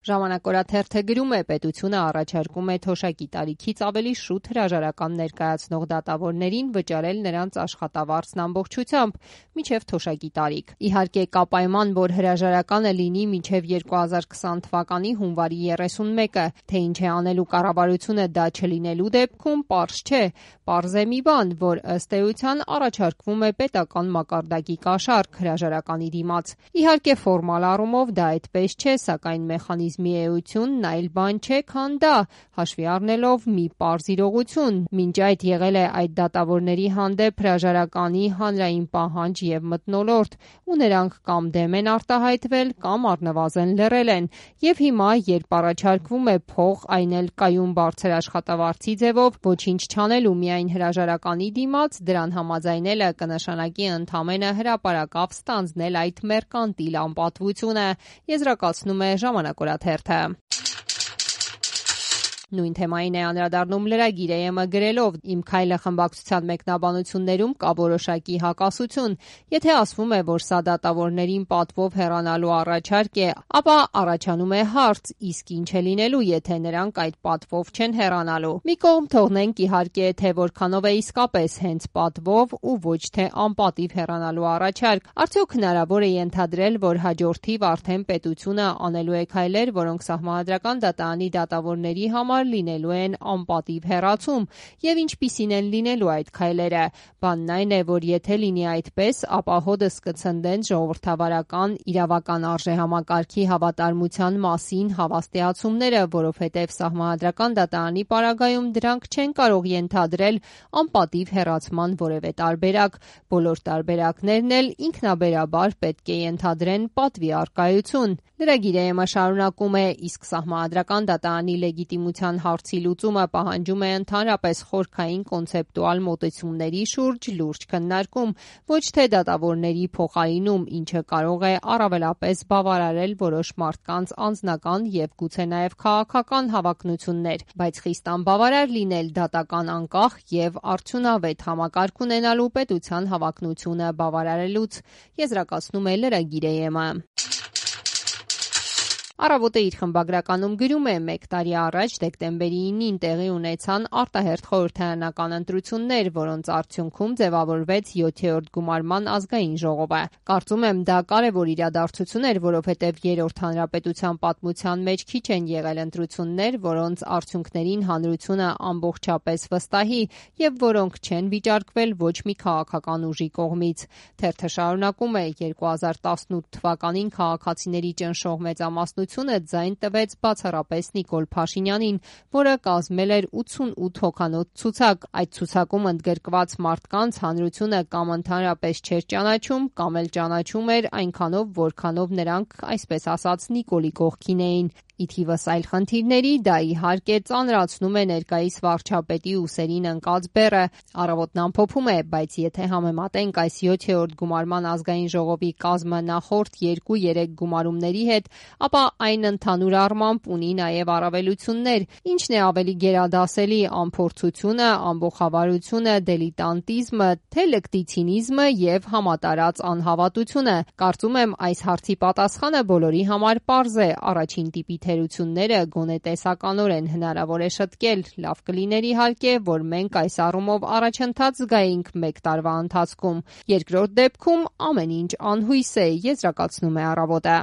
Ժամանակ օրաթերթը գրում է, պետությունը առաջարկում է թոշակի տարիքից ավելի շուտ հրաժարական ներկայացնող դատավորներին վճարել նրանց աշխատավարձն ամբողջությամբ մինչև թոշակի տարիք։ Իհարկե կա պայման, որ հրաժարականը լինի մինչև 2020 թվականի հունվարի 31-ը, թե ինչ է անելու կառավարությունը դա չլինելու դեպքում պարզ չէ։ Պարզ է մի բան, որ ըստ էության առաջարկվում է պետական մակարդակի կաշառք հրաժարականի դիմաց։ Իհարկե ֆորմալ առումով դա այդպես չէ, սակայն մեխանիզմի էությունն այլ բան չէ, քան դա, հաշվի առնելով մի պարզ իրողություն։ Մինչ այդ եղել է այդ դատավորների հանդեպ հրաժարականի հանրային պահանջ և մթնոլորտ, ու նրանք կամ դեմ են արտահայտվել, կամ առնվազն լռել են։ Եվ հիմա, երբ առաջարկվում է փող, այն էլ կայուն բարձր աշխատավարձի ձևով, ոչինչ չանելու միայն հրաժարականի դիմաց, դրան համաձայնելը կնշանակի ընդամենը հրապարակավ ստանձնել այդ մերկանտիլ անպատվությունը, եզրակացնում է Ժամանակ օրաթերթը։ Նույն թեմային է անդրադառնում Լրագիր AM-ը գրելով. «Իմ քայլը» խմբակցության մեկնաբանություններում կա որոշակի հակասություն։ Եթե ասվում է, որ սա դատավորներին պատվով հեռանալու առաջարկ է, ապա առաջանում է հարց, իսկ ինչ է լինելու, եթե նրանք այդ պատվով չեն հեռանալու։ Մի կողմ թողնենք իհարկե, թե որքանով է իսկապես հենց պատվով ու ոչ թե անպատիվ հեռանալու առաջարկ։ Արդյոք հնարավոր է ենթադրել, որ հաջորդիվ արդեն պետությունը անելու է քայլեր, որոնք Սահմանադրական դատարանի դատավորների համար լինելու են անպատիվ հեռացում, եւ ինչպիսին են լինելու այդ քայլերը։ Բանն այն է, որ եթե լինի այդպես, ապա հօդս կցնդեն ժողովրդավարական իրավական արժեհամակարգի հավատարմության մասին հավաստիացումները, որովհետև Սահմանադրական դատարանի պարագայում դրանք չեն կարող ենթադրել անպատիվ հեռացման որևէ տարբերակ։ Բոլոր տարբերակներն էլ ինքնաբերաբար պետք է ենթադրեն պատվի առկայություն։ Լրագիր AM-ը շարունակում է. իսկ Սահմանադրական դատարանի լեգիտիմության հարցի լուծումը պահանջում է ընդհանրապես խորքային կոնցեպտուալ մոտեցումների շուրջ լուրջ քննարկում, ոչ թե դատավորների փոխարինում, ինչը կարող է առավելապես բավարարել որոշ մարդկանց անձնական և գուցե նաև քաղաքական հավակնություններ, բայց խիստ անբավարար լինել դատական անկախ և արդյունավետ համակարգ ունենալու պետության հավակնությունը բավարարելուց, եզրակացնում է Լրագիր AM-ը։ Առավոտը իր խմբագրականում գրում է. «Մեկ տարի առաջ դեկտեմբերի 9-ին տեղի ունեցան արտահերթ խորհրդարանական ընտրություններ, որոնց արդյունքում ձևավորվեց 7-րդ գումարման ազգային ժողովը։ Կարծում եմ դա կարևոր իրադարձություն էր, որովհետև երրորդ հանրապետության պատմության մեջ քիչ են եղել ընտրություններ, որոնց արդյունքներին հանրությունը ամբողջապես վստահի և որոնք չեն վիճարկվել ոչ մի քաղաքական ուժի կողմից»։ Թերթը շարունակում է. «2018 թվականին քաղաքացիների ճնշող մեծամասնությունը ձայն տվեց բացառապես Նիկոլ Փաշինյանին, որը կազմել էր 88 հոգանոց ցուցակ։ Այդ ցուցակում ընդգրկված մարդկանց հանրությունը կամ ընդհանրապես չէր ճանաչում, կամ էլ ճանաչում էր այնքանով, որքանով նրանք, այսպես ասած, Նիկոլի կողքին էին։ Ի թիվս այլ խնդիրների, դա իհարկե ծանրացնում է ներկայիս վարչապետի ուսերին ընկած բեռը։ Առավոտն ամփոփում է. բայց եթե համեմատենք այս 7-րդ գումարման ազգային ժողովի կազմը նախորդ 2-3 գումարումների հետ, ապա այն ընդհանուր առմամբ ունի նաև առավելություններ։ Ինչն է ավելի գերադասելի՝ անփորձությունը, ամբոխավարությունը, դիլետանտիզմը, թե լկտի ցինիզմը և համատարած անհավատությունը։ Կարծում եմ, այս հարցի պատասխանը բոլորի համար պարզ է։ Առաջին տիպի թերությունները գոնե տեսականորեն հնարավոր է շտկել։ Լավ կլիներ իհարկե, որ մենք այս առումով առաջընթաց զգայինք մեկ տարվա ընթացքում։ Երկրորդ դեպքում ամեն ինչ անհույս է, եզրակացնում է Առավոտը։